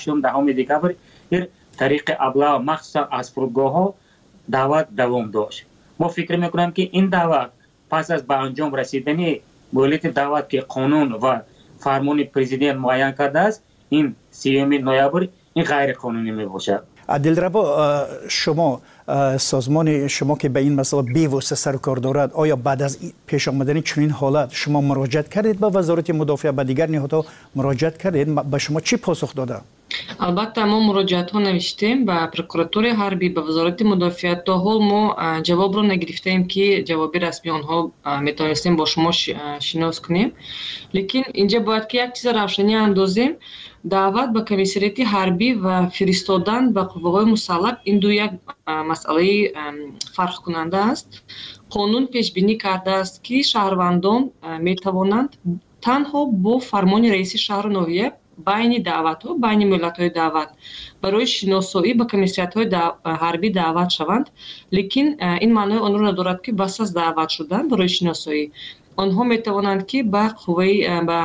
8, 10 декабр тариқи облава, махсусан аз фурудгоҳҳо даъват давом дошт. Мо фикр мекунем, ки ин даъват пас аз ба анҷом расидани муҳлати даъват, ки қонун ва фармони президент муайян кардааст, ин 30 ноябр, ин ғайриқонунӣ мебошад. Дилрабо, шумо, созмони шумо, ки ба ин масъала бевосита сару кор дорад, оё баъд аз пеш омадани чунин ҳолат шумо муроҷиат кардед ба Вазорати мудофиа, ба дигар ниҳодҳо муроҷиат кардед? Ба шумо чӣ посух доданд? Албатта, мо муроҷиатҳо навиштем ба прокуратураи ҳарбӣ, ба Вазорати мудофиа. То ҳол мо ҷавобро нагирифтаем, ки ҷавоби расмии онҳо метавонистем бо шумо шинос кунем. Лекин инҷа бояд ки як чиза равшанӣ андозем: даъват ба комиссариати ҳарбӣ ва фиристодан ба қувваҳои мусаллаҳ — ин ду як масъалаи фарқкунанда аст. Қонун пешбинӣ кардааст, ки шаҳрвандон метавонанд танҳо бо фармони раиси шаҳру ноҳия байни даъватҳо, байни муҳлатҳои даъват барои шиносоӣ ба комиссариатҳои ҳарбӣ даъват шаванд. Лекин ин маънои онро надорад, ки пас аз даъват шудан барои шиносоӣ онҳо метавонанд, ки ба қувваи, ба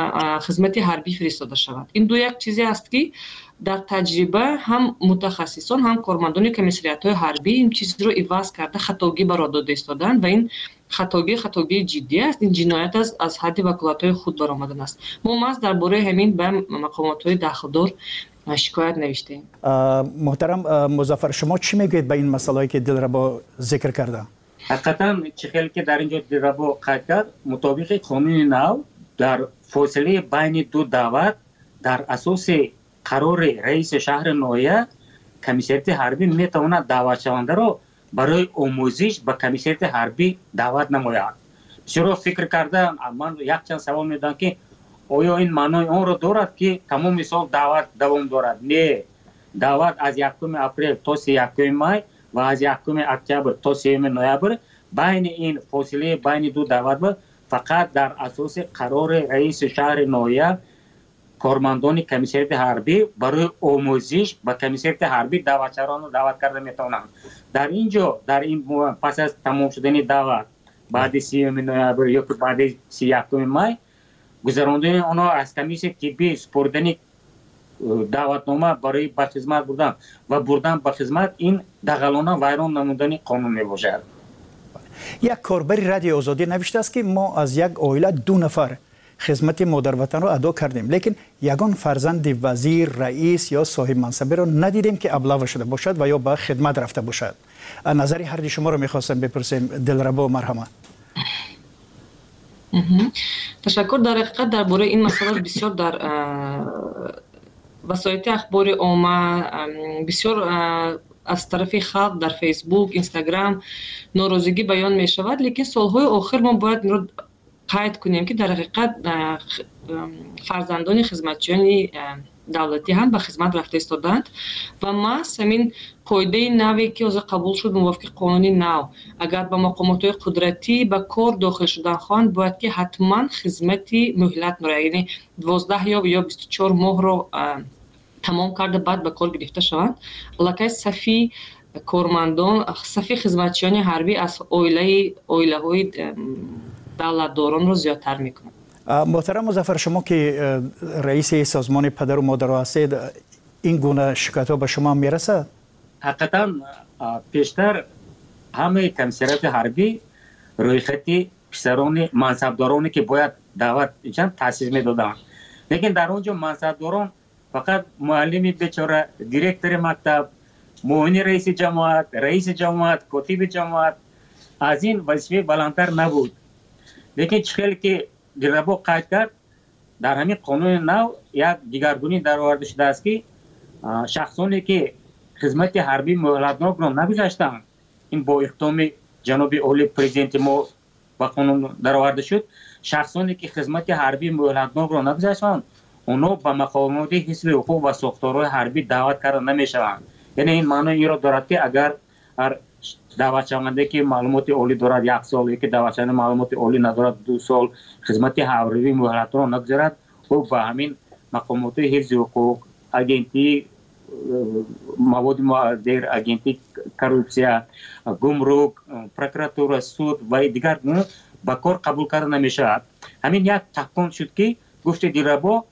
хизмати ҳарбӣ фиристода шаванд. Ин ду як чизе аст, ки дар таҷриба ҳам мутахассисон, ҳам кормандони комиссариатҳои ҳарбӣ ин чизро иваз карда, хатогӣ ба роҳ дода истодаанд ва ин хатогӣ хатогии ҷиддӣ аст, ин ҷиноят аст, аз ҳадди ваколатҳои худ баромадан аст. Мо маҳз дар бораи ҳамин ба мақомотҳои дахлдор шикоят навиштаем. Муҳтарам Музаффар, шумо чӣ мегӯед ба ин масъалае, ки Дилрабо зикр карда? Ҳақиқатан, чӣ хеле ки дар ин ҷо Дилрабо қайд кард, мутобиқи қонуни нав дар фосилаи байни ду даъват дар асоси қарори раиси шаҳри ноҳия комиссариати ҳарбӣ метавонад даъватшавандаро барои омӯзиш ба комиссариати ҳарбӣ даъват намояд. Бисёро фикр карда, ман якчанд савол медодам, ки оё ин маънои онро дорад, ки тамоми сол даъват давом дорад? Не, даъват аз 1 апрел то 31 май ва аз 1 октябр то 3 ноябр. Байни ин фосилаи байни ду даъват фақат дар асоси қарори раиси шаҳри ноҳия кормандони комиссариати ҳарбӣ барои омӯзиш ба комиссариати ҳарбӣ даъватшавандаро даъват карда метавонанд. Дар ин ҷо, дар ин пас аз тамом шудани даъват баъди 30 ноябр ё ки баъди 31 май гузарондани онҳо аз комиссияи тиббӣ, супоридани даъватнома барои ба хизмат бурдан ва бурдан ба хизмат — ин дағалона вайрон намудани қонун мебошад. Як корбари Радиои Озодӣ навиштааст, ки мо аз як оила ду нафар хизмати модарватанро адо кардем, лекин ягон фарзанди вазир, раис ё соҳибмансабиро надидем, ки облава шуда бошад ва ё ба хидмат рафта бошад. Назари ҳарди шуморо мехостем бипурсем. Дилрабо, марҳамат. Ташаккур. Дар ҳақиқат, дар бораи ин масъала бисёр дар васоити ахбори омма, бисёр аз тарафи халқ дар Фейсбук, Инстаграм норозигӣ баён мешавад. Лекин солҳои охир мо бояд инро қайд кунем, ки дар ҳақиқат фарзандони хизматчиёни давлатӣ ҳам ба хизмат рафта истодаанд ва маҳз ҳамин қоидаи наве, ки ҳозир қабул шуд, мувофиқи қонуни нав, агар ба мақомотҳои қудратӣ ба кор дохил шудан хоҳанд, бояд ки ҳатман хизмати муҳлатро, яъне 12 ё 24 моҳро тамом карда, баъд ба кор гирифта шаванд. Аллакай сафи кормандон, сафи хизматчиёни ҳарбӣ аз оилаҳои давлатдоронро зиёдтар мекунад. Муҳтарам Музаффар, шумо ки раиси созмони падару модаро ҳастед, ин гуна шикоятҳо ба шумо ҳам мерасад? Ҳақиқатан, пештар ҳамаи комиссариати ҳарбӣ рӯйхати писарони мансабдороне, ки бояд даъват чанд, таъсис медоданд. Лекин дар он ҷо мансабдорон фақат муаллими бечора, директори мактаб, муовини раиси ҷамоат, раиси ҷамоат, котиби ҷамоат, аз ин вазифаи баландтар набуд. Лекин чӣ хеле ки Дилрабо қайд кард, дар ҳамин қонуни нав як дигаргунӣ дароварда шудааст, ки шахсоне, ки хизмати ҳарбии муҳлатнокро нагузаштанд, ин бо иқдоми ҷаноби олии президенти мо ба қонун дароварда шуд, шахсоне, ки хизмати ҳарбии муҳлатнокро нагузаштанд, онҳо ба мақомоти ҳифзи ҳуқуқ ва сохторҳои ҳарбӣ даъват карда намешаванд. Яъне ин маънои инро дорад, ки агар ҳар даъватшаванде, ки маълумоти олӣ дорад, як сол, яке даъватшаванда маълумоти олӣ надорад, 2 сол хизмати ҳарбии муҳлатро нагузарад, ӯ ба ҳамин мақомоти ҳифзи ҳуқуқ, агентии маводи мухаддир, агентии коррупсия, гумрук, прокуратура, суд ва дигар ба кор қабул карда намешавад. Ҳамин як такон шуд, ки гуфти Дилрабо,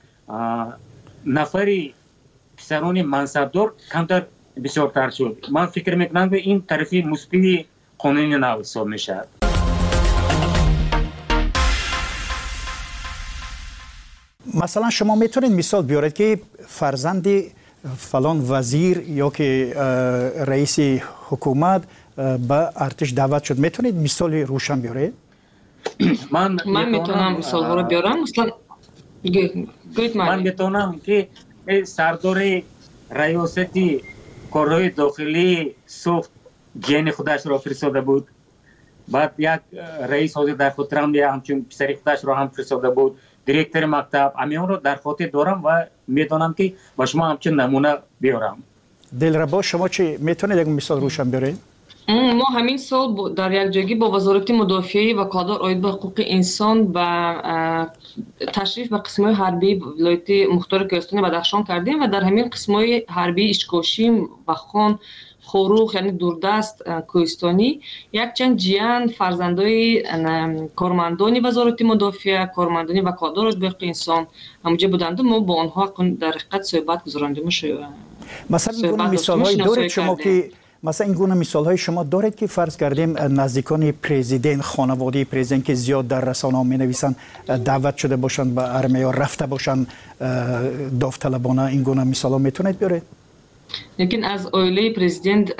нафари писари писарони мансабдор камтар бисёртар шуд. Ман фикр мекунам, ки ин тарафи мусбии қонуни нав ҳисоб мешавад. Масалан, шумо метавонед мисол биёред, ки фарзанди фалон вазир ё ки раиси ҳукумат ба артиш даъват шуд? Метавонед мисоли рӯшан биёред? Ман метавонам мисолҳоро биёрам. Масалан, гӯед. Ман метавонам, ки сардори раёсати корҳои дохилии Суғд ҷияни худашро фиристода буд. Баъд як раис, ҳозир дар хотирам, ҳамчун писари худашро ҳам фиристода буд, директори мактаб. Ҳаминро дар хотир дорам ва медонам, ки ба шумо ҳамчун намуна биёрам. Дилрабо, шумо чӣ, метавонед як мисол рӯшан биёред? Мо ҳамин сол дар якҷоягӣ бо Вазорати мудофиаи ваколатдор оид ба ҳуқуқи инсон ба ташриф ба қисмҳои ҳарбии вилояти мухтори Кӯҳистони Бадахшон кардем ва дар ҳамин қисмҳои ҳарбии Ишкошим, Вахон, Хоруғ, яъне дурдаст, кӯҳистонӣ, якчанд ҷиян, фарзандои кормандони Вазорати мудофиа, кормандони ваколатдор оид ба ҳуқуқи инсон ҳамонҷо буданду мо бо онҳо дар ҳақиқат суҳбат гузарондему. Масалан, ин гуна мисолҳое доред шумо ки, масалан, ин гуна мисолҳои шумо доред, ки фарз кардем, наздикони президент, хонаводаи президент, ки зиёд дар расонаҳо менависанд, даъват шуда бошанд ба армия ё рафта бошанд довталабона? Ин гуна мисолҳо метавонед биёред? Лекин аз оилаи президент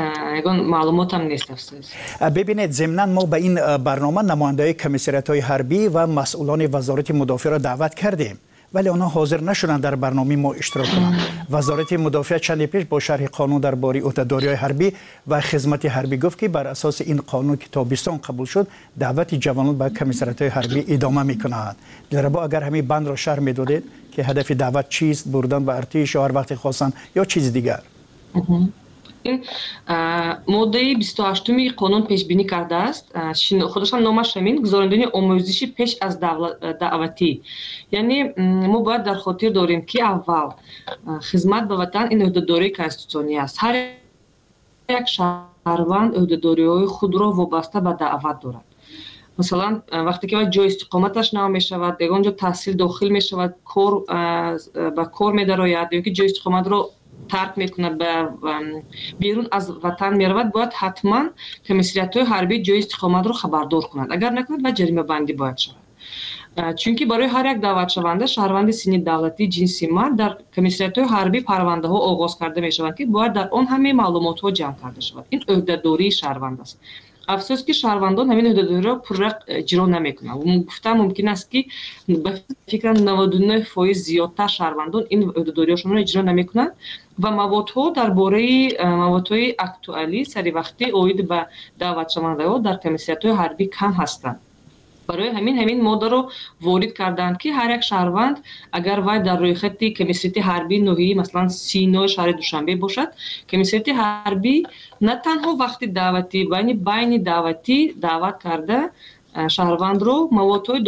ягон маълумотам нест, афсӯс. Бибинед, зимнан мо ба ин барнома намояндаҳои комиссариятҳои ҳарбӣ ва масъулони Вазорати мудофиаро даъват кардем, вале онҳо ҳозир нашуданд дар барномаи мо иштирок кунанд. Вазорати мудофиа чанде пеш бо шарҳи қонун дар бораи ӯҳдадориҳои ҳарбӣ ва хизмати ҳарбӣ гуфт, ки бар асоси ин қонун, ки тобистон қабул шуд, даъвати ҷавонон ба комиссариятҳои ҳарбӣ идома мекунад. Дилрабо, агар ҳамин бандро шарҳ медодед, ки ҳадафи даъват чист, бурдан ба артиш ё ҳар вақте хостанд ё чизи дигар? Ин моддаи 28-уми қонун пешбинӣ кардааст, худашам номаш ҳамин: гузарондани омӯзиши пеш аз даъватӣ. Яъне мо бояд дар хотир дорем, ки аввал хизмат ба ватан ин ӯҳдадории конститутсионӣ аст. Ҳар як шаҳрванд ӯҳдадориҳои худро вобаста ба даъват дорад. Масалан, вақте ки вай ҷои истиқоматаш нав мешавад, ягон ҷо таҳсил дохил мешавад, кор ба кор медарояд ё ки ҷои истиқоматро тарк мекунад, ба берун аз ватан меравад, бояд ҳатман комиссариятҳои ҳарбии ҷои истиқоматро хабардор кунад. Агар накунад, вай ҷаримабандӣ бояд шавад, чунки барои ҳар як даъватшаванда, шаҳрванди синни давлатӣ, ҷинси мард, дар комиссариятҳои ҳарбӣ парвандаҳо оғоз карда мешаванд, ки бояд дар он ҳамаи маълумотҳо ҷамъ карда шавад. Ин ӯҳдадории шаҳрванд аст. Афсӯс, ки шаҳрвандон ҳамин ӯҳдадориро пурра иҷро намекунанд. Гуфтан мумкин аст, ки ба фикрам, 99% зиёдтар шаҳрвандон ин ӯҳдадориҳошонро иҷро намекунанд ва маводҳо дар бораи маводҳои актуалӣ, саривақтӣ оид ба даъватшавандаҳо дар комиссариятҳои ҳарбӣ кам ҳастанд. Барои ҳамин моддаро ворид карданд, ки ҳар як шаҳрванд, агар вай дар рӯйхати комиссариати ҳарбии ноҳияи, масалан, Синои шаҳри Душанбе бошад, комиссариати ҳарбӣ на танҳо вақти даъватӣ, байни даъватӣ даъват карда шаҳрвандро маводҳои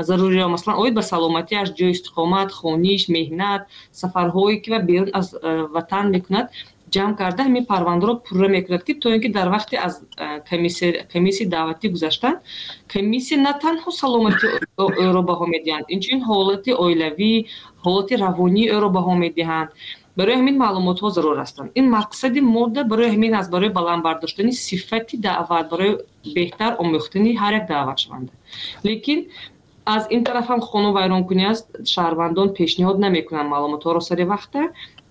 заруриро, масалан, оид ба саломатиаш, ҷои истиқомат, хониш, меҳнат, сафарҳое ки вай берун аз ватан мекунад, ҷамъ карда, ҳамин парвандаро пурра мекунад, ки то ин ки дар вақти аз комиссияи даъватӣ гузаштан комиссия на танҳо саломатии ӯро баҳо медиҳанд, инчунин ҳолати оилавӣ, ҳолати равонии ӯро баҳо медиҳанд. Барои ҳамин маълумотҳо зарур ҳастанд. Ин мақсади модда барои ҳамин аст, барои баланд бардоштани сифати даъват, барои беҳтар омӯхтани ҳар як даъватшаванда. Лекин аз ин тараф ҳам қонунвайронкунӣ аст: шаҳрвандон пешниҳод намекунанд маълумотҳоро сари вақта.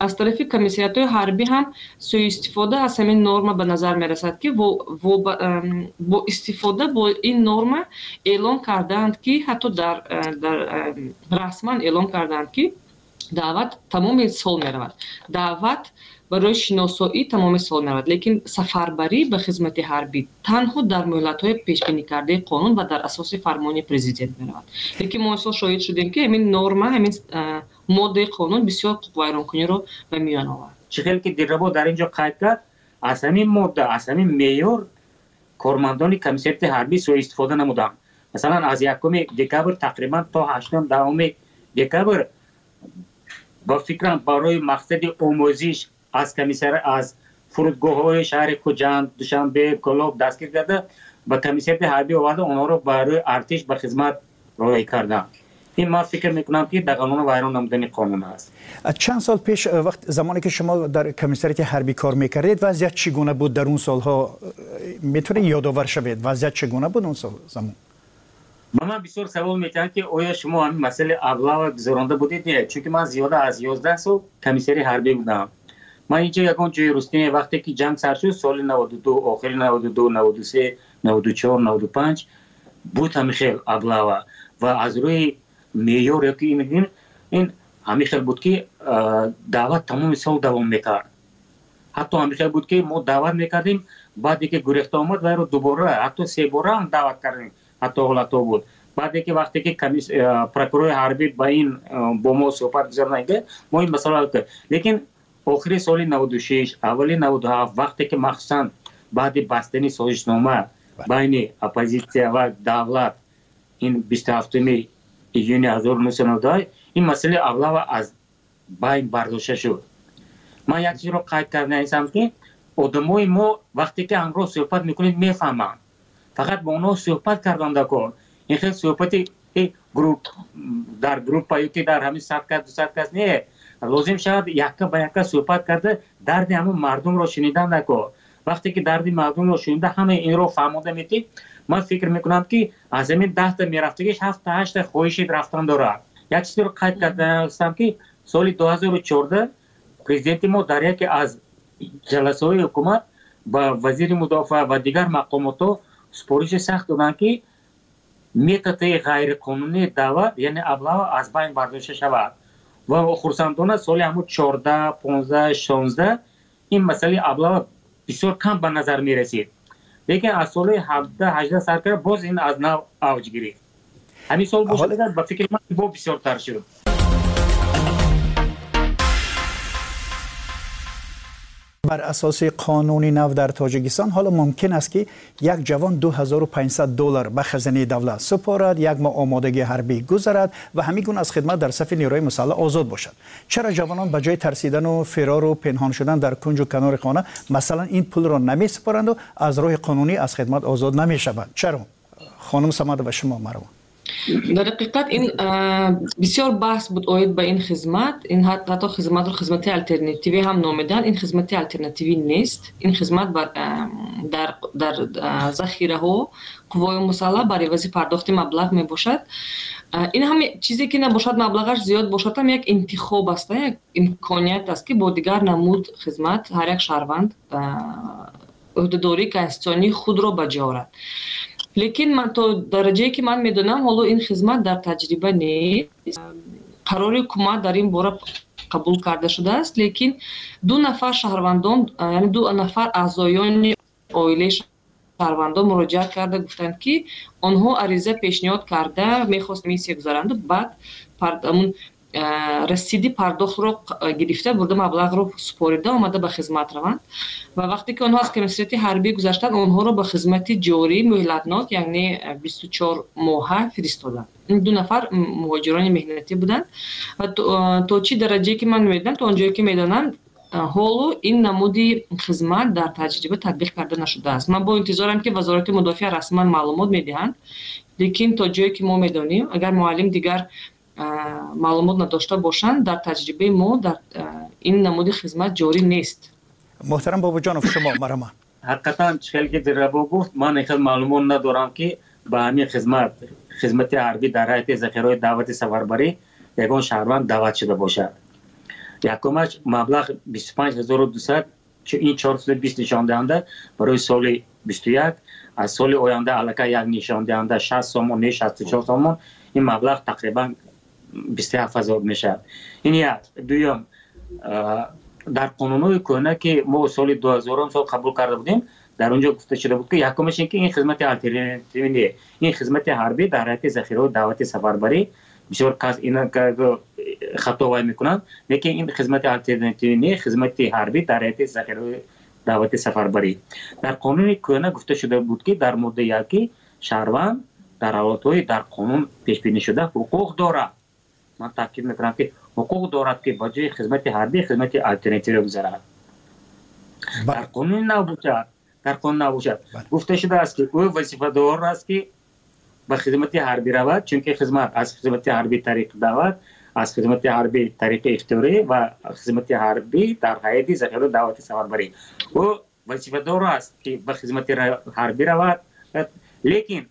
Аз тарафи комиссариятҳои ҳарбӣ ҳам сӯистифода аз ҳамин норма ба назар мерасад, ки бо истифода бо ин норма эълон кардаанд, ки ҳатто дар расман эълон кардаанд, ки даъват тамоми сол меравад, даъват барои шиносоӣ тамоми сол меравад, лекин сафарбарӣ ба хизмати ҳарбӣ танҳо дар муҳлатҳои пешбинӣ кардаи қонун ва дар асоси фармони президент меравад. Лекин мо имсол шоҳид шудем, ки ҳамин норма, ҳамин моддаи қонун бисёр ҳуқуқвайронкуниро ба миён овард. Чӣ хел ки Дилрабо дар ин ҷо қайд кард, аз ҳамин модда, аз ҳамин меъёр кормандони комиссариати ҳарбӣ сӯистифода намуданд. Масалан, аз 1 декабр тақрибан то 8, 10 декабр, ба фикрам, барои мақсади омӯзиш аз комиссар аз фурудгоҳҳои шаҳри Хуҷанд, Душанбе, Кӯлоб дастгир карда, ба комиссариати ҳарбӣ оварда, онҳоро барои артиш ба хизмат роҳӣ карданд. Ин ман фикр мекунам, ки дағалона вайрон намудани қонун аст. Чанд сол пеш, вақт замоне ки шумо дар комиссариати ҳарбӣ кор мекардед, вазъият чӣ гуна буд дар он солҳо? Метавонед ёдовар шавед, вазъият чӣ гуна буд он сол замон? Ба ман бисёр савол метиҳанд, ки оё шумо ҳамин масъалаи облава гузаронда будед? Не, чунки ман зиёда аз 11 сол комиссари ҳарбӣ будам. Ман инҷо ягон ҷои русти не. Вақте ки ҷанг сар шуд, соли 92, охири 92, 93, 94, 95 буд ҳамин хел облава ва аз рӯи меъёр ёки ин ҳамин хел буд, ки даъват тамоми сол давом мекард. Ҳатто ҳамин хел буд, ки мо даъват мекардем, баъде ки гурехта омад, вайро дубора, ҳатто себора ҳам даъват кардем. Ҳатто ҳолатҳо буд. Баъде ки вақте ки прокурори ҳарбӣ ба ин бо мо суҳбат гузаронда, мо ин масъала, лекин охири соли 96, аввали 97, вақте ки махсусан баъди бастани созишнома байни оппозитсия ва давлат, ин 27 июни 1992, ин масъалаи облава аз байн бардошта шуд. Ман як чизро қайд кардаистам, ки одамои мо вақте ки ҳамроҳ суҳбат мекунед, мефаҳманд. Фақат бо онҳо суҳбат кардан даркор. Ин хел суҳбати дар группа ё ки дар ҳамин 100 кас, 200 кас не, лозим шавад якка ба якка суҳбат карда, дарди ҳамон мардумро шунидан даркор. Вақте ки дарди мардумро шунида, ҳамаи инро фаҳмода метид, ман фикр мекунам, ки аз ҳамин 10-та мерафтагиш ҳафта, ҳашта хоҳиши рафтан дорад. Як чизеро қайд кардаастам, ки соли 2014 президенти мо дар яке аз ҷаласаҳои ҳукумат ба вазири мудофиа ва дигар мақомотҳо супориши сахт доданд, ки методҳои ғайриқонунии даъват, яъне облава, аз байн бардошта шавад. Ва хурсандона, соли ҳамун 14, 15, 16 ин масъалаи облава бисёр кам ба назар мерасид, лекин аз соли 17, 18 сар карда, боз ин аз нав авҷ гирифт. Ҳамин сол бошад, ба фикри ман, бо бисёртар шуд. Бар асоси қонуни нав дар Тоҷикистон ҳоло мумкин аст, ки як ҷавон 2500 доллар ба хазинаи давлат супорад, як моҳ омодагии ҳарбӣ гузарад ва ҳамин гуна аз хидмат дар сафи нерӯҳои мусаллаҳ озод бошад. Чаро ҷавонон ба ҷои тарсидану фирору пинҳон шудан дар кунҷу канори хона, масалан, ин пулро намесупоранду аз роҳи қонунӣ аз хидмат озод намешаванд? Чаро? Хонум Самадова, шумо марҳамат. Дар ҳақиқат, ин бисёр баҳс буд оид ба ин хизмат. Ин ҳатто хизматро хизмати алтернативӣ ҳам номиданд. Ин хизмати алтернативӣ нест. Ин хизмат дар захираҳо қуввои мусаллаҳ бар ивази пардохти маблағ мебошад. Ин ҳам чизе ки набошад, маблағаш зиёд бошад ҳам, як интихоб аст, як имконият аст, ки бо дигар намуд хизмат ҳар як шаҳрванд ӯҳдадории конститутсионии худро ба ҷо орад. Лекин ман то дараҷае ки ман медонам, ҳоло ин хизмат дар таҷриба нест. Қарори ҳукумат дар ин бора қабул карда шудааст, лекин ду нафар шаҳрвандон, яъне ду нафар аъзоёни оилаи шаҳрвандон муроҷиат карда гуфтанд, ки онҳо ариза пешниҳод карда, мехост миссия гузаранду, баъд расиди пардохтро гирифта бурда, маблағро супорида омада, ба хизмат раванд. Ва вақте ки онҳо аз комиссариати ҳарбӣ гузаштанд, онҳоро ба хизмати ҷорӣ муҳлатнок, яъне 24 моҳа фиристоданд. Ин ду нафар муҳоҷирони меҳнатӣ буданд. Ва то чӣ дараҷае ки ман медонам, то он ҷое ки медонам, ҳоло ин намуди хизмат дар таҷриба татбиқ карда нашудааст. Ман бо интизорам, ки Вазорати мудофиа расман маълумот медиҳанд, лекин то ҷое ки мо медонем, агар муаллим дигар маълумот надошта бошанд, дар таҷрибаи мо дар ин намуди хизмат ҷорӣ нест. Муҳтарам Бобоҷонов, шумо марҳамат. Ҳақиқатан, хеле ки Дилрабо гуфт, ман хел маълумот надорам, ки ба ҳамин хизмат, хизмати ҳарбӣ дар ҳайати захираҳои даъвати сафарбарӣ, ягон шаҳрванд даъват шуда бошад. Якумаш, маблағ 25 200, ин 420 нишондиҳанда барои соли 21, аз соли оянда аллакай як нишондиҳанда 60 сомон, не, 64 сомон, ин маблағ тақрибан 27 000 мешавад. Ин як. Дуюм, дар қонунҳои кӯҳна, ки мо соли 2000-ум сол қабул карда будем, дар он ҷо гуфта шуда буд, ки якумаш ин ки ин хизмати алтернативӣ не, ин хизмати ҳарбӣ дар ҳайати захираҳои даъвати сафарбарӣ. Бисёр кас ина хато вай мекунанд, лекин ин хизмати алтернативӣ не, хизмати ҳарбӣ дар ҳайати захираҳои даъвати сафарбарӣ. Дар қонуни кӯҳна гуфта шуда буд, ки дар моддаи як, ки шаҳрванд дар ҳолатҳои дар қонун пешбинӣ шуда ҳуқуқ дорад, ман таъкид мекунам, ки ҳуқуқ дорад, ки ба ҷои хизмати ҳарбӣ хизмати алтернативиро гузарад. Дар қонуни нав бошад, дар қонун нав бошад, гуфта шудааст, ки ӯ вазифадор аст, ки ба хизмати ҳарбӣ равад, чунки хизмат аз хизмати ҳарбӣ тариқи даъват, аз хизмати ҳарбӣ тариқи ихтиёрӣ ва хизмати ҳарбӣ дар ҳайати захираи даъвати сафарбарӣ. Ӯ вазифадор аст, ки ба хизмати ҳарбӣ равад, лекин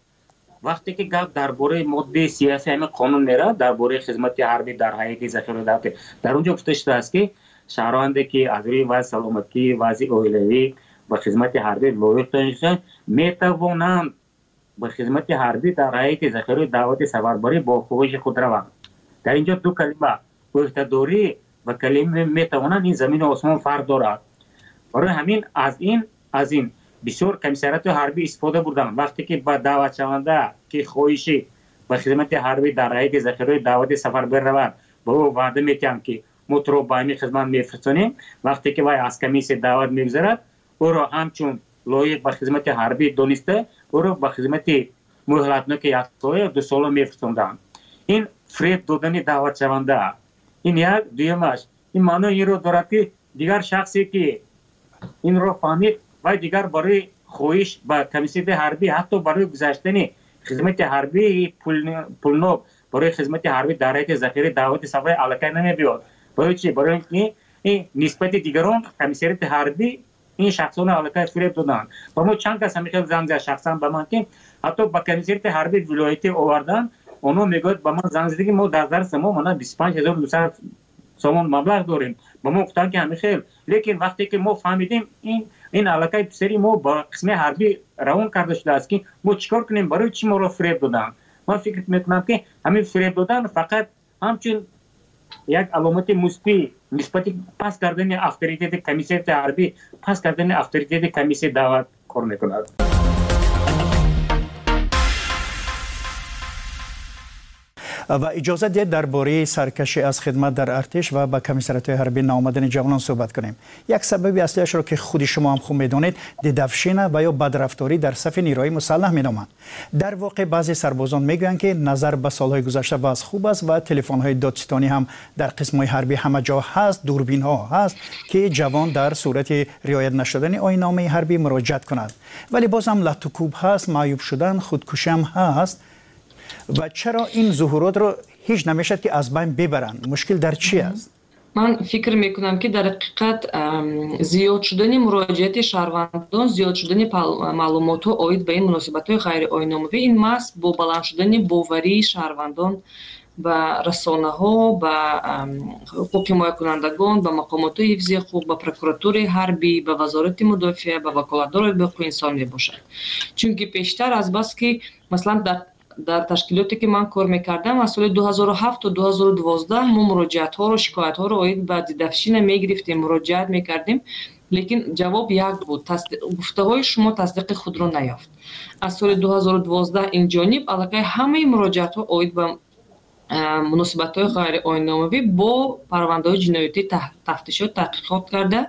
вақте ки гап дар бораи моддаи сиёсии ҳамин қонун меравад, дар бораи хизмати ҳарбӣ дар ҳайати захираи даъватӣ, дар он ҷо гуфта шудааст, ки шаҳрванде ки аз рӯи вазъи саломатӣ, вазъи оилавӣ ба хизмати ҳарбӣ лоиқ дониста метавонанд ба хизмати ҳарбӣ дар ҳайати захираи даъвати сафарбарӣ бо хоҳиши худ раванд. Дар инҷо ду калима ӯҳдадорӣ ва калимаи метавонанд, ин замину осмон фарқ дорад. Барои ҳамин аз ин бисёр комиссариати ҳарбӣ истифода бурданд. Вақте ки ба даъватшаванда ки хоҳиши ба хизмати ҳарбӣ дар ҳайати захираи даъвати сафарбарӣ равад, ба ӯ ваъда метиҳанд, ки мо туро ба ҳамин хизмат мефирсонем. Вақте ки вай аз комиссия даъват мегузарад, ӯро ҳамчун лоиқ ба хизмати ҳарбӣ дониста, ӯро ба хизмати муҳлатноки яксола ё дусола мефирсонданд. Ин фиреб додани даъватшаванда. Ин як. Дуюмаш, ин маънои инро дорад, ки дигар шахсе ки инро фаҳмид, вай дигар барои хоҳиш ба комиссияи ҳарбӣ, ҳатто барои гузаштани хизмати ҳарбии пулнок барои хизмати ҳарбӣ дар ҳайати захираи даъвати сафарӣ аллакай намебиёд. Барои чӣ? Барои ин ки нисбати дигарон комиссариати ҳарбӣ ин шахсонро аллакай фиреб доданд. Ба мо чанд кас ҳамин хел занг зад шахсан ба ман, ки ҳатто ба комиссариати ҳарбии вилоятӣ оварданд. Онҳо мегӯяд, ба ман занг зад, ки мо дар дарси мо мана 25 900 сомон маблағ дорем. Ба мо гуфтанд, ки ҳамин хел, лекин вақте ки мо фаҳмидем, ин аллакай писари мо ба қисми ҳарбӣ равон карда шудааст, ки мо чӣ кор кунем, барои чӣ моро фиреб доданд? Ман фикр мекунам, ки ҳамин фиреб додан фақат ҳамчун як аломати мусбӣ нисбати паст кардани авторитети комиссияти ҳарбӣ, паст кардани авторитети комиссияи даъват кор мекунад. Ва иҷозат диҳед, дар бораи саркашӣ аз хидмат дар артиш ва ба комиссариатҳои ҳарбӣ наомадани ҷавонон суҳбат кунем. Як сабаби аслиашро, ки худи шумо ҳам хуб медонед, дедовщина ва ё бадрафторӣ дар сафи нерӯҳои мусаллаҳ меноманд. Дар воқеъ баъзе сарбозон мегӯянд, ки назар ба солҳои гузашта вазъ хуб аст ва телефонҳои додситонӣ ҳам дар қисмҳои ҳарбӣ ҳама ҷо ҳаст, дурбинҳо ҳаст, ки ҷавон дар сурати риоят нашудани оинномаи ҳарбӣ муроҷиат кунад, вале боз ҳам латтукӯб ҳаст, маъюб шудан, худкушӣ ҳам ҳаст. Ва чаро ин зуҳуротро ҳеҷ намешавад, ки аз байн бибаранд? Мушкил дар чӣ аст? Ман фикр мекунам, ки дар ҳақиқат зиёд шудани муроҷиати шаҳрвандон, зиёд шудани маълумотҳо оид ба ин муносибатҳои ғайриоинномавӣ, ин маҳз бо баланд шудани боварии шаҳрвандон ба расонаҳо, ба ҳуқуқ ҳимоякунандагон, ба мақомотҳои ҳифзи ҳуқуқ, ба прокуратураи ҳарбӣ, ба Вазорати мудофиа, ба ваколатдорои ҳуқуқи инсон мебошад. Чунки пештар азбаски, масалан, дар ташкилоте ки ман кор мекардам, аз соли 2007 то 2012 мо муроҷиатҳоро, шикоятҳоро оид ба дедовщина мегирифтем, муроҷиат мекардем, лекин ҷавоб як буд: гуфтаҳои шумо тасдиқи худро наёфт. Аз соли 2012 ин ҷониб аллакай ҳамаи муроҷиатҳо оид ба муносибатҳои ғайриоинномавӣ бо парвандаҳои ҷиноятӣ тафтишот, таҳқиқот карда,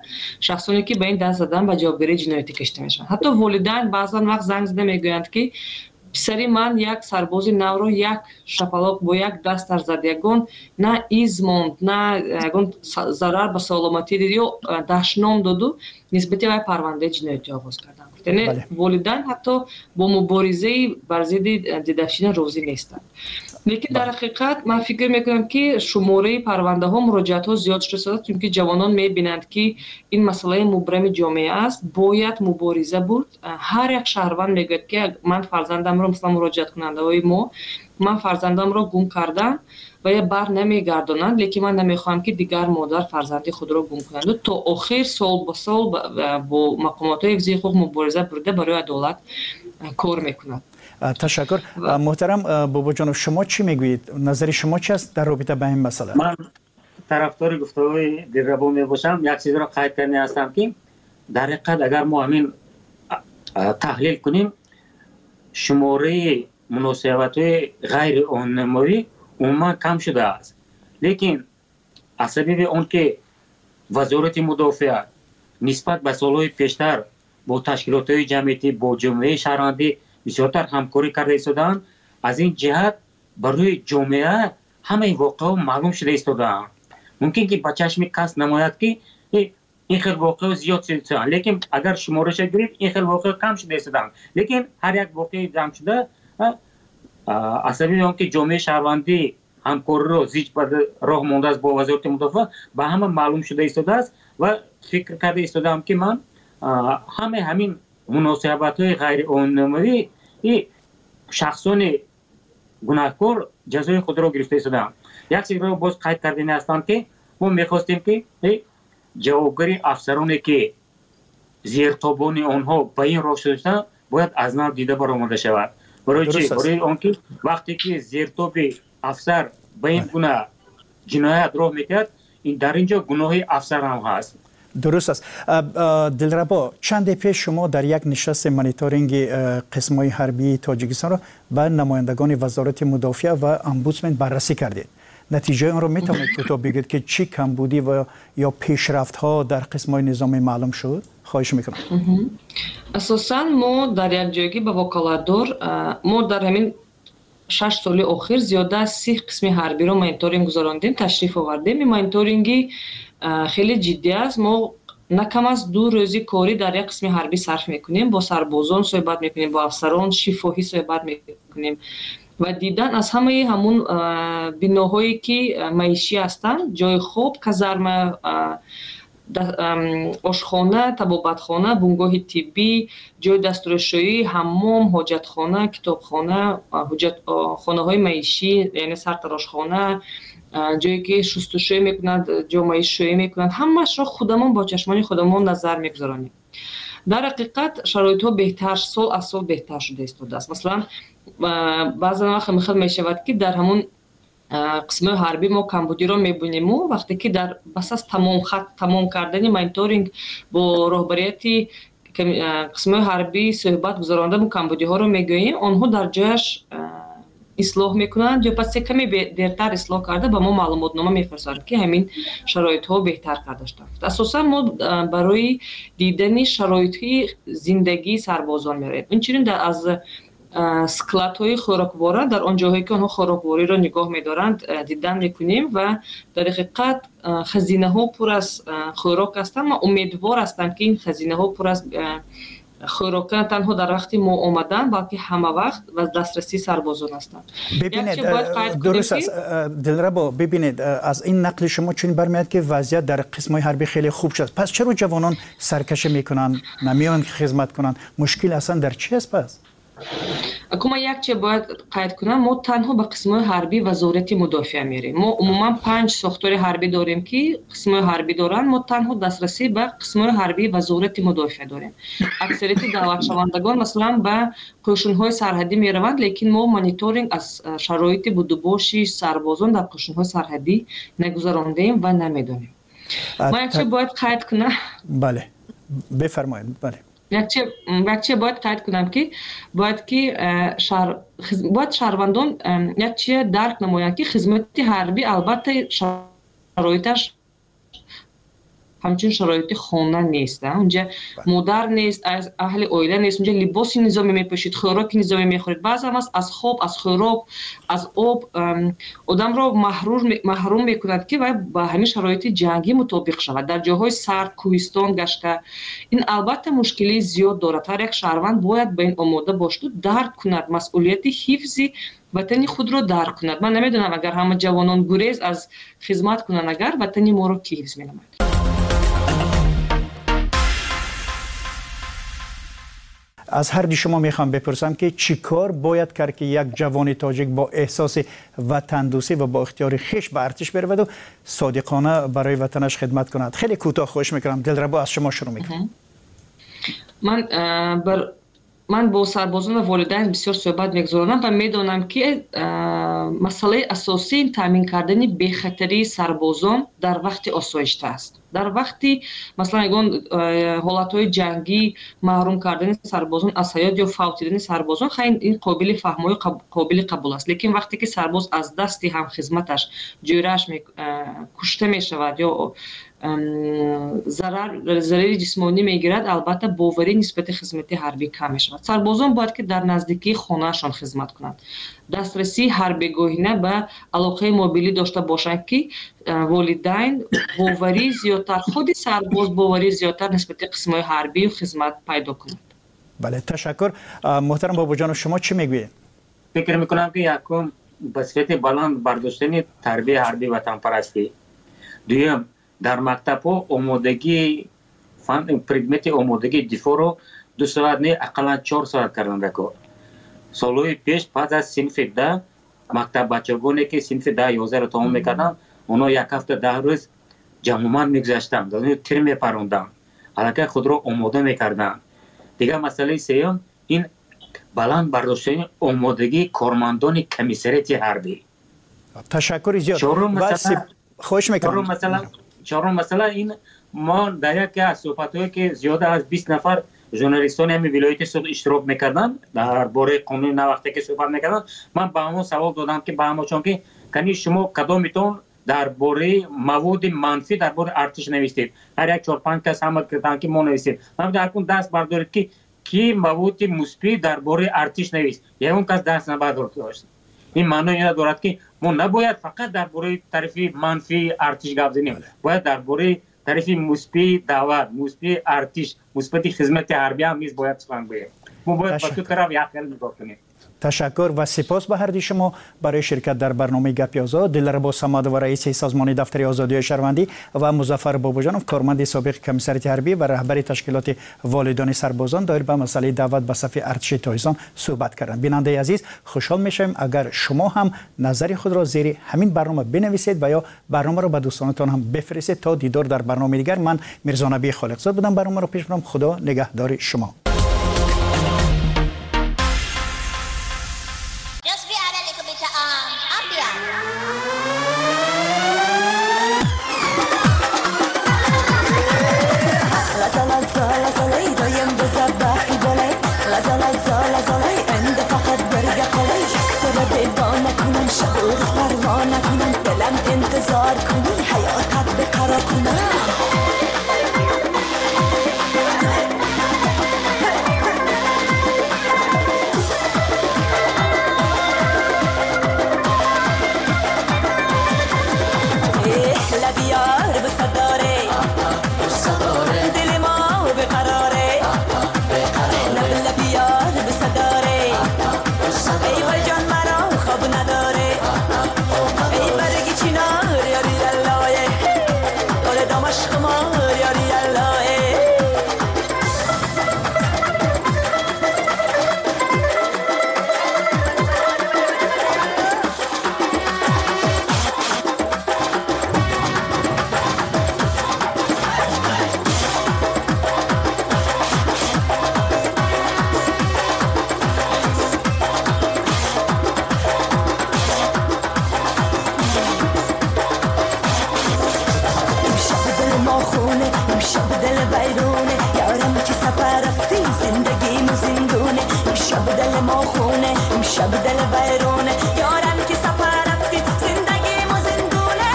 шахсоне ки ба ин даст задан, ба ҷавобгарии ҷиноятӣ кашида мешаванд. Ҳатто волидайн баъзан вақт занг зада мегӯянд, ки писари ман як сарбози навро як шапалоқ бо як дасташ зад, ягон на из монд, на ягон зарар ба саломатӣ дид ё дашном доду, нисбати вай парвандаи ҷиноятӣ оғоз карданд. Яъне волидайн ҳатто бо муборизаи бар зидди дедовщина розӣ нестанд. Лекин дар ҳақиқат ман фикр мекунам, ки шумораи парвандаҳо, муроҷиатҳо зиёд шуда, чунки ҷавонон мебинанд, ки ин масъалаи мубрами ҷомеа аст, бояд мубориза бурд. Ҳар як шаҳрванд мегӯяд, ки ман фарзандамро, масалан, муроҷиаткунандаҳои мо, ман фарзандамро гум кардам ва я бар намегардонанд, лекин ман намехоҳам, ки дигар модар фарзанди худро гум кунанд. То охир сол ба сол бо мақомотҳои ҳифзи ҳуқуқ мубориза бурда, барои адолат кор мекунад. Ташаккур. Муҳтарам Бобоҷонов, шумо чӣ мегӯед? Назари шумо чи аст дар робита ба ин масъала? Ман тарафдори гуфтаҳои Дилрабо мебошам. Як чизро қайд карда ҳастам, ки дар ҳақиқат агар мо ҳамин таҳлил кунем, шумораи муносибатҳои ғайриоинномавӣ умуман кам шудааст, лекин аз сабаби он ки Вазорати мудофиа нисбат ба солҳои пештар бо ташкилотҳои ҷамъиятӣ, бо ҷомеаи шаҳрвандӣ бисёртар ҳамкорӣ карда истодаанд, аз ин ҷиҳат барои ҷомеа ҳамаи воқеаҳо маълум шуда истодаанд. Мумкин ки ба чашми кас намояд, ки ин хел воқеаҳо зиёд шудаанд, лекин агар шумораша гирифт, ин хел воқеаҳо кам шуда истодаанд. Лекин ҳар як воқеаи ҷамъ шуда Аз сабаби он ки ҷомеаи шаҳрвандӣ ҳамкориро зич ба роҳ мондааст бо Вазорати мудофиа, ба ҳама маълум шуда истодааст ва фикр карда истодаам, ки ман ҳамаи ҳамин муносибатҳои ғайриқонунии шахсони гунаҳкор ҷазои худро гирифта истодаам. Як чизро боз қайд кардани ҳастам, ки мо мехостем, ки ҷавобгари афсароне, ки зертобони онҳо ба ин роҳ шуда, бояд аз нав дида баромада шавад. Барои чӣ? Барои он ки вақте ки зертоби афсар ба ин гуна ҷиноят роҳ медиҳад, дар ин ҷо гуноҳи афсар ҳам ҳаст. Дуруст аст. Дилрабо, чанде пеш шумо дар як нишасти мониторинги қисмҳои ҳарбии Тоҷикистонро ба намояндагони Вазорати мудофиа ва омбудсмен баррасӣ кардед. Натиҷаи онро метавонед кӯтоҳ бигӯед, ки чӣ камбудӣ ва ё пешрафтҳо дар қисмҳои низомӣ маълум шуд? Хоҳиш мекунам. Асосан мо дар якҷоягӣ ба вокалатдор мо дар ҳамин 6 соли охир зиёда аз 30 қисми ҳарбиро мониторинг гузарондем, ташриф овардем. Ин мониторинги хеле ҷиддӣ аст. Мо на кам аз 2 рӯзи корӣ дар як қисми ҳарбӣ сарф мекунем, бо сарбозон суҳбат мекунем, бо афсарон шифоҳӣ суҳбат мекунем ва дидан аз ҳамаи ҳамун биноҳое, ки маишӣ ҳастанд, ҷои хоб, казарма, ошхона, табобатхона, бунгоҳи тиббӣ, ҷои дастуршӯӣ, ҳаммом, ҳоҷатхона, китобхона, хонаҳои маишӣ, яъне сартарошхона, ҷое ки шустушӯӣ мекунанд, ҷомаишӯӣ мекунанд, ҳамаашро худамон бо чашмони худамон назар мегузаронем. Дар ҳақиқат шароитҳо беҳтар, сол аз сол беҳтар шуда истодааст. Масалан, баъзан вақт мехел мешавад, ки дар ҳамун қисмҳои ҳарбӣ мо камбудиро мебинему, вақте ки дар бас аз тамом кардани мониторинг бо роҳбарияти қисмҳои ҳарбӣ суҳбат гузаронда, мо камбудиҳоро мегӯем, онҳо дар ҷояш ислоҳ мекунанд ё пас каме дертар ислоҳ карда ба мо маълумотнома мефирстанд, ки ҳамин шароитҳо беҳтар карда шуданд. Асосан мо барои дидани шароити зиндагии сарбозон меравем. Инчунин аз складҳои хӯроквора, дар он ҷоҳое ки онҳо хӯроквориро нигоҳ медоранд, дидан мекунем ва дар ҳақиқат хазинаҳо пур аз хӯрок ҳастанд. Ман умедвор ҳастам, ки ин хазинаҳо пур аз хӯрока на танҳо дар вақти мо омадан, балки ҳама вақт ва дастрасии сарбозон ҳастанд. Бибинед, дуруст аст, Дилрабо, бибинед, аз ин нақли шумо чунин бармеояд, ки вазъият дар қисмҳои ҳарбӣ хеле хуб шуд. Пас чаро ҷавонон саркашӣ мекунанд, намеоянд ки хизмат кунанд? Мушкил аслан дар чи аст пас? Аку ман як чиз бояд қайд кунам, мо танҳо ба қисмҳои ҳарбӣ Вазорати мудофиа мерем. Мо умуман 5 сохтори ҳарбӣ дорем, ки қисмҳои ҳарбӣ доранд. Мо танҳо дастрасӣ ба қисмҳои ҳарбии Вазорати мудофиа дорем. Аксарияти даъватшавандагон, масалан, ба қӯшунҳои сарҳадӣ мераванд, лекин мо мониторинг аз шароити будубоши сарбозон дар қӯшунҳои сарҳадӣ нагузарондем ва намедонем. Ман як чиз бояд қайд кунам. Бале, бифармоед, бале. Якче бояд қайд кунам, ки бояд ки бояд шаҳрвандон якчие дарк намоянд, ки хизмати ҳарбӣ албатта шароиташ ҳамчун шароити хона нест. Унҷа модар нест, аз аҳли оила нест, унҷа либоси низомӣ мепӯшид, хӯроки низомӣ мехӯред. Баъзан аз хоб, аз хӯрок, аз об одамро маҳрум мекунад, ки вай ба ҳамин шароити ҷангӣ мутобиқ шавад. Дар ҷойҳои сард, кӯҳистон гашта, ин албатта мушкилии зиёд дорад. Ҳар як шаҳрванд бояд ба ин омода бошаду дарк кунад, масъулияти ҳифзи ватани худро дарк кунад. Ман намедонам, агар ҳама ҷавонон гурез аз хизмат кунанд, агар ватани моро кӣ ҳифз менамояд? Аз ҳарди шумо мехоҳам бипурсам, ки чӣ кор бояд кард, ки як ҷавони тоҷик бо эҳсоси ватандӯстӣ ва бо ихтиёри хеш ба артиш бираваду содиқона барои ватанаш хидмат кунад. Хеле кӯтоҳ хоҳиш мекунам. Дилрабо, аз шумо шурӯъ мекунам. Ман бо сарбозон ва волидайн бисёр суҳбат мегузаронам ва медонам, ки масъалаи асосии ин таъмин кардани бехатарии сарбозон дар вақти осоишта аст. Дар вақти, масалан, ягон ҳолатҳои ҷангӣ маҳрум кардани сарбозон аз ҳаёт ё фавтидани сарбозон, хай, ин қобили фаҳмою қобили қабул аст. Лекин вақте ки сарбоз аз дасти ҳамхизматаш, ҷӯрааш кушта мешавад ё зарари ҷисмонӣ мегирад, албатта боварӣ нисбати хизмати ҳарбӣ кам мешавад. Сарбозон бояд ки дар наздикии хонаашон хизмат кунанд, дастрасии ҳарбегоҳина ба алоқаи мобилӣ дошта бошанд, ки волидайн боварии зиёдтар, худи сарбоз боварии зиёдтар нисбати қисмҳои ҳарбию хизмат пайдо кунад. Бале, ташаккур. Муҳтарам Бобоҷонов, шумо чӣ мегӯед? Фикр мекунам, ки якум ба сифати баланд бардоштани тарбияи ҳарбии ватанпарастӣ, дуюм дар мактабҳо омодагии предмети омодагии дифоъро 2 соат не, ақаллан 4 соат кардан даркор. Солҳои пеш пас аз синфи 10 мактаббачагоне ки синфи 10 11-ро тамом мекарданд, онҳо як ҳафта 10 рӯз ҷамъомад мегузаштанд, тир мепаронданд, аллакай худро омода мекарданд. Дигар масъалаи сеюм ин баланд бардоштани омодагии кормандони комиссариати ҳарбӣ. Ташаккури зиёд. Хоҳиш мекунам. Чорум масъала ин мо дар яке аз суҳбатҳое ки зиёда аз 20 нафар журналистони ҳамин вилояти Суғд иштирок мекарданд, дар бораи қонуни нав вақте ки суҳбат мекарданд, ман ба ҳамон савол додам, ки ба ҳамончон ки кани шумо кадомитон дар бораи маводи манфӣ дар бораи артиш навиштед? Ҳар як 4-5 кас ҳама карданд, ки мо навиштем. Ман дар кун даст бардоред, ки ки маводи мусбӣ дар бораи артиш навишт? Ягон кас даст набардошт. Ин маънои инро дорад, ки мо набояд фақат дар бораи тарафи манфии артиш гап занем, бояд дар бораи тарафи мусбии даъват, мусбии артиш, мусбати хизмати ҳарбӣ ҳам низ бояд сухан гӯем. Мо бояд ба ду тараф як хел нигоҳ кунем. Ташаккур ва сипос ба ҳарди шумо барои ширкат дар барномаи Гапи Озод. Дилрабо Самадова, раиси созмони дафтари озодиҳои шаҳрвандӣ, ва Музаффар Бобоҷонов, корманди собиқи комиссариати ҳарбӣ ва раҳбари ташкилоти волидони сарбозон, доир ба масъалаи даъват ба сафи артиши Тоҷикистон суҳбат карданд. Бинандаи азиз, хушҳол мешавем агар шумо ҳам назари худро зери ҳамин барнома бинависед ва ё барномаро ба дӯстонатон ҳам бифиристед. То дидор дар барномаи дигар, ман Мирзонабӣ Холиқзод будам, барномаро пеш бурам. Худо нигаҳдори шумо. انتظار کنی حیاتت به قرار کنم. لبیار بصداره دل ما به قراره، لبیار بصداره، ای بای جان مرا خواب نداره، ای برگی چینار یاری الله، داره دامش خمار یاری الله. امشب دل ویرونه، یارم که سفر رفتی زندگیمو زندونه.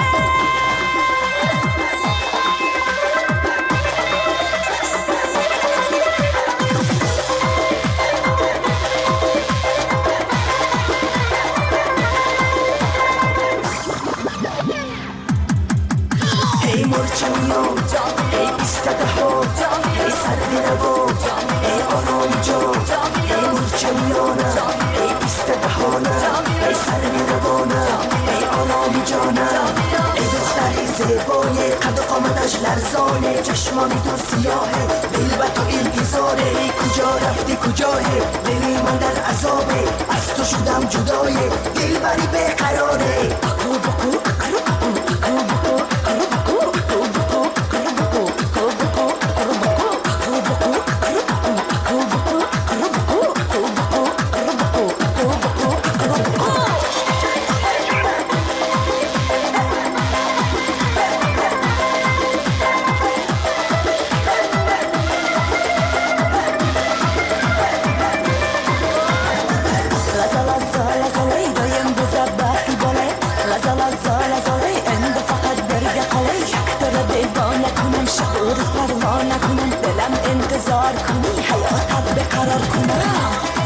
ای مرچمیان، ای 22، ای سرد نوا، ای آرام جان، ای مرچمیانم، ای 22، ای سرد روانم، ای آرام جانم، ای دختری زیبای قد و قامتش لرزانه، چشمانی تو سیاهه، دل به تو انتظاره، ای کجا رفتی کجاه، دلی من در عذابه، از تو شدم جدایه، دل بری بیقراره. اکو بکو اکرو اکو اکو بکو اکرو بکو اکو بکو اکرو بکو اکو بکو اکرو بکو اکو بکو اکرو اکو اکو بکو اکرو بکو اکو بکو اکرو بکو اکو بکو اکرو بکو. شب و روز پروا نکنم، دلم انتظار کنی حیاتت به قرار کنم.